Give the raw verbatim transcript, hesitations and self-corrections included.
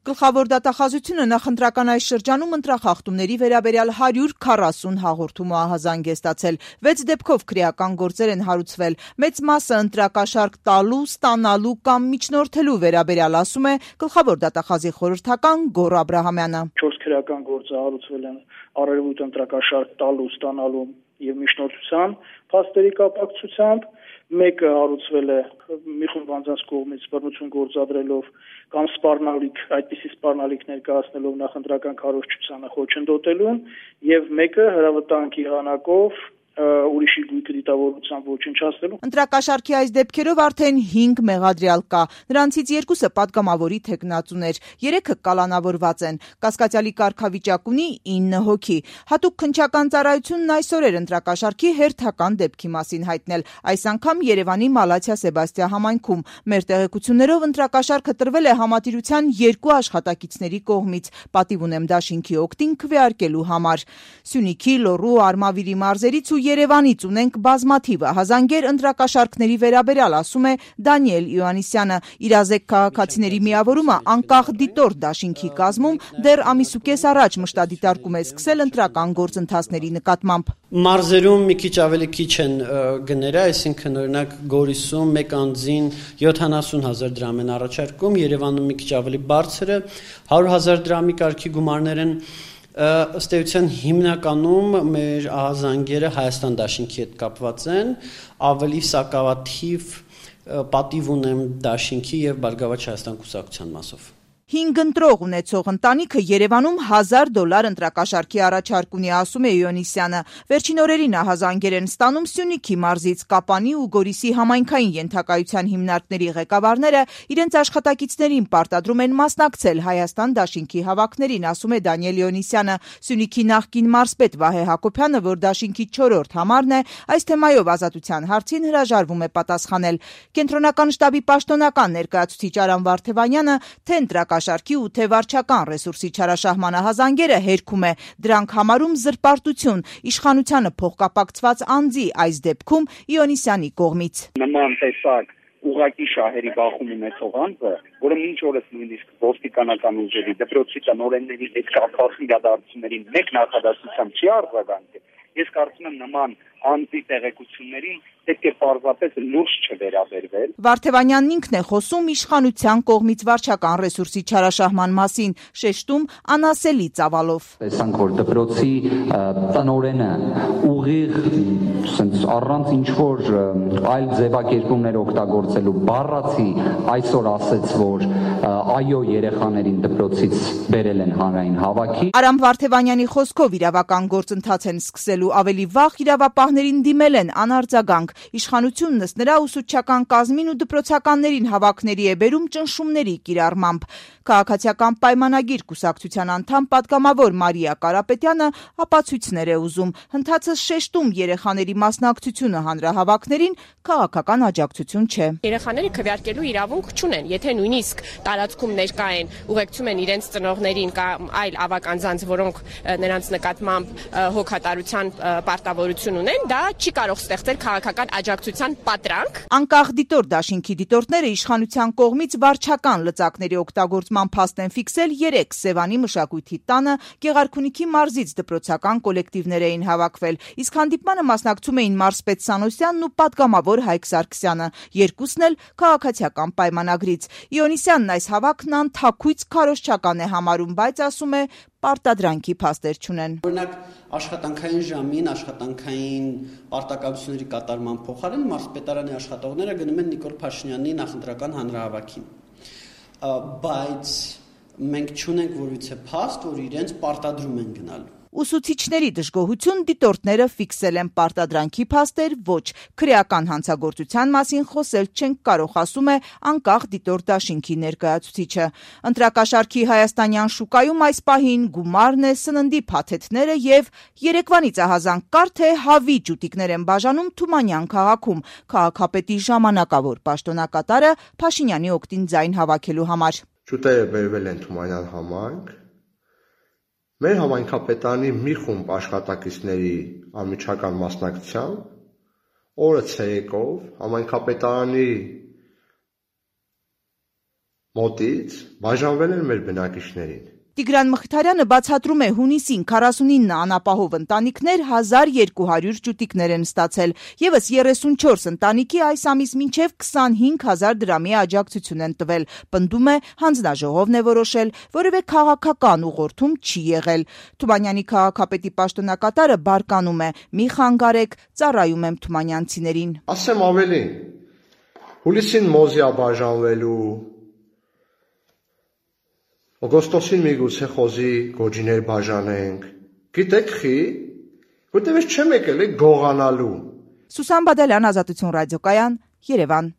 Գլխավոր դատախազությունը նախընտրական այս շրջանում ընտրախախտումների վերաբերյալ հարյուր քառասուն հաղորդում ու ահազանգ է ստացել, վեց դեպքով քրեական գործեր են հարուցվել, մեծ մասը ընտրակաշառք տալու, ստանալու կամ միջնորդելու վերաբերյալ, ասում է գլխավոր դատախազի խորհրդական Գոռ Աբրահամյանը։ Չորս քրեական գործը հարուցվել են առերևույթ ընտրակաշառք տալու, ստանալու եւ միջնորդության փաստերի կապակցությամբ, մեկը հարուցվել է մի խումբ անձանց կողմից բռնություն գործադրելով կամ սպառնալիք, այդպիսի սպառնալիք ներկայացնելով նախընտրական քարոզչությանը խոչընդոտելուն, եւ մեկը հրավտանքի հանակով ուրիշի գույքը դիտավորությամբ ոչնչացնելու։ Ընտրակաշառքի այս դեպքերով արդեն հինգ մեղադրյալ կա, նրանցից երկուսը պատգամավորի թեկնածուներ, երեքը կալանավորված են, կասկածյալի կարգավիճակ ունի ինը հոգի։ Հատուկ քննչական ծառայությունն այսօր էր ընտրակաշառքի հերթական դեպքի մասին հայտնել, այս անգամ Երևանի Մալաթիա Սեբաստիա համայնքում։ Մեր տեղեկություններով ընտրակաշառքը տրվել է համատիրության երկու աշխատակիցների կողմից, պատիվ ունեմ դաշինքի օգտին քվեարկելու համար։ Սյունիքի, Լոռու, Արմավիրի մարզերից ու Երևանից ունենք բազմաթիվ ահազանգեր ընտրակաշառքների վերաբերյալ, ասում է Դանիել Իոաննիսյանը։ Իրազեկ քաղաքացիների միավորումը անկախ դիտորդ դաշինքի կազմում դեռ ամիսուկես առաջ մշտադիտարկում է սկսել ընտրական գործընթացների նկատմամբ։ Մարզերում մի քիչ ավելի քիչ են գները, այսինքն օրինակ Գորիսում մեկ անձին յոթանասուն հազար դրամ են առաջարկում, Երևանում մի քիչ ավելի բարձր է, հարյուր հազար դրամի կարգի գումարներ են։ Ըստ էության հիմնականում մեր ահազանգերը Հայաստան դաշինքի հետ կապված են, ավելի սակավաթիվ պատիվ ունեմ դաշինքի եւ Բարգավաճ Հայաստան կուսակցության մասով։ Հինգ ընտրող ունեցող ընտանիքը Երևանում հազար դոլար ընտրակաշառքի առաջարկ ունի, ասում է Իոաննիսյանը։ Վերջին օրերին ահազանգեր են ստանում Սյունիքի մարզից, Կապանի ու Գորիսի համայնքային ենթակայության հիմնարկների ղեկավարները իրենց աշխատակիցներին պարտադրում են մասնակցել Հայաստան դաշինքի հավաքներին, ասում է Դանիել Իոաննիսյանը։ Սյունիքի նախկին մարզպետ Վահե Հակոբյանը, որ դաշինքի չորրորդ համարն է, այս թեմայով Ազատության հարցին հրաժարվում է պատասխանել։ Կենտրոնական շտաբի պաշտոնական ներկայացուցիչ Արամ Վարդևանյանը թե ընտրակաշառքի ու թե վարչական ռեսուրսի չարաշահման ահազանգերը հերքում է, դրանք համարում զրպարտություն, իշխանությանը փոխկապակցված անձի, այս դեպքում Իոաննիսյանի կողմից։ Նման տեսակ ուղղակի շահերի բախում ունեցող անձը, որը մինչ օրս նույնիսկ ոստիկանական ուժերի, դպրոցի տնօրենների հետ կապված իրադարձություններին մեկ նախադասությամբ չի արձագանքել, ես կարծում եմ նման անձի տեղեկություններին պետք է պարզապես լուրջ չվերաբերվել։ Վարդևանյանն ինքն է խոսում իշխանության կողմից վարչական ռեսուրսի չարաշահման մասին, շեշտում անասելի ծավալով։ Տեսանք, որ դպրոցի տնօրենը ուղիղ առանց ինչ-որ այլ ձևակերպումներ օգտագործելու բառացի այսօր ասեց, որ այո, երեխաներին դպրոցից բերել են հանրային հավաքի։ Արամ Վարդևանյանի խոսքով իրավական գործընթաց են սկսելու, ավելի վաղ իրավապահներին դիմել են անարձագանք։ Իշխանությունն ըստ նրա ուսուցչական կազմին ու դպրոցականներին հավաքների է բերում ճնշումների կիրառմամբ։ Քաղաքացիական պայմանագիր կուսակցության անդամ պատգամավոր Մարիա Կարապետյանը ապացույցներ է ուզում, հնդածը շեշտում երեխաների մասնակցությունը հանրահավաքներին քաղաքական աջակցություն չէ։ Երեխաները քվեարկելու իրավունք չունեն, եթե նույնիսկ տարածքում ներկա են, ուղեկցում են իրենց ծնողներին կամ այլ ավակ անձանց, որոնք նրանց նկատմամբ հոգատարության պարտավորություն ունեն, դա չի կարող ստեղծել քաղաքական աջակցության պատրանք։ Անկախ դիտորդ դաշինքի դիտորդները իշխանության կողմից վարչական լծակների օգտագործման փաստ են ֆիքսել երեք Սևանի մշակույթի տանը, Գեղարքունիքի մարզից դպրոցական կոլեկտիվներ էին հավաքվել, իսկ հանդիպմանը մասնակցում էին մարզպետ Սանոսյանն ու պատգամավոր Հայկ Սարգսյանը, երկուսն էլ քաղաքացիական պայմանագրից։ Իոաննիսյանն այս հավաքն անթաքույց քարոզչական է համարում, բայց ասում է պարտադրանքի փաստեր չունեն։ Օրինակ աշխատանքային ժամին, աշխատանքային պարտականությունների կատարման փոխարեն մարզպետարանի աշխատողները գնում են Նիկոլ Փաշինյանի նախընտրական հանրահավաքին։ Բայց մենք չունենք որևիցե փաստ, որ իրենց պարտադրում են գնալու։ Ուսուցիչների դժգոհություն դիտորդները ֆիքսել են, պարտադրանքի փաստեր ոչ, քրեական հանցագործության մասին խոսել չենք կարող, ասում է անկախ դիտորդ դաշինքի ներկայացուցիչը։ Ընտրակաշառքի հայաստանյան շուկայում այս պահին գումարն է, սննդի փաթեթները եւ Երևանից ահազանգ կար, թե հավի ջուտիկներ են բաժանում Թումանյան քաղաքում, քաղաքապետի ժամանակավոր պաշտոնակատարը Փաշինյանի օգտին ձայն հավաքելու համար։ Ջուտերը բերվել են Թումանյան համայնք։ Մեր համայնքապետարանի մի խումբ աշխատակիցների անմիջական մասնակցությամբ օրը ցերեկով համայնքապետարանի մոտից բաժանվել են մեր բնակիչներին։ Տիգրան Մխիթարյանը բացատրում է հունիսին քառասունինը անապահով ընտանիքներ հազար երկու հարյուր ճուտիկներ են ստացել, ևս երեսունչորս ընտանիքի այս ամիս մինչև քսանհինգ հազար դրամի աջակցություն են տվել, պնդում է հանձնաժողովն է որոշել, որևէ քաղաքական ուղղորդում չի եղել։ Թումանյանի քաղաքապետի պաշտոնակատարը բարկանում է՝ մի խանգարեք, ծառայում եմ թումանյանցիներին։ Ասեմ ավելին, հուլիսին մոզիա բաժանվելու, օգոստոսին միգուցե խոզի գոջիներ բաժանենք, գիտեք խի, որտեղ ես չեմ եկել է գողանալու։ Սուսան Բադալյան, Ազատություն ռադիոկայան, Երևան։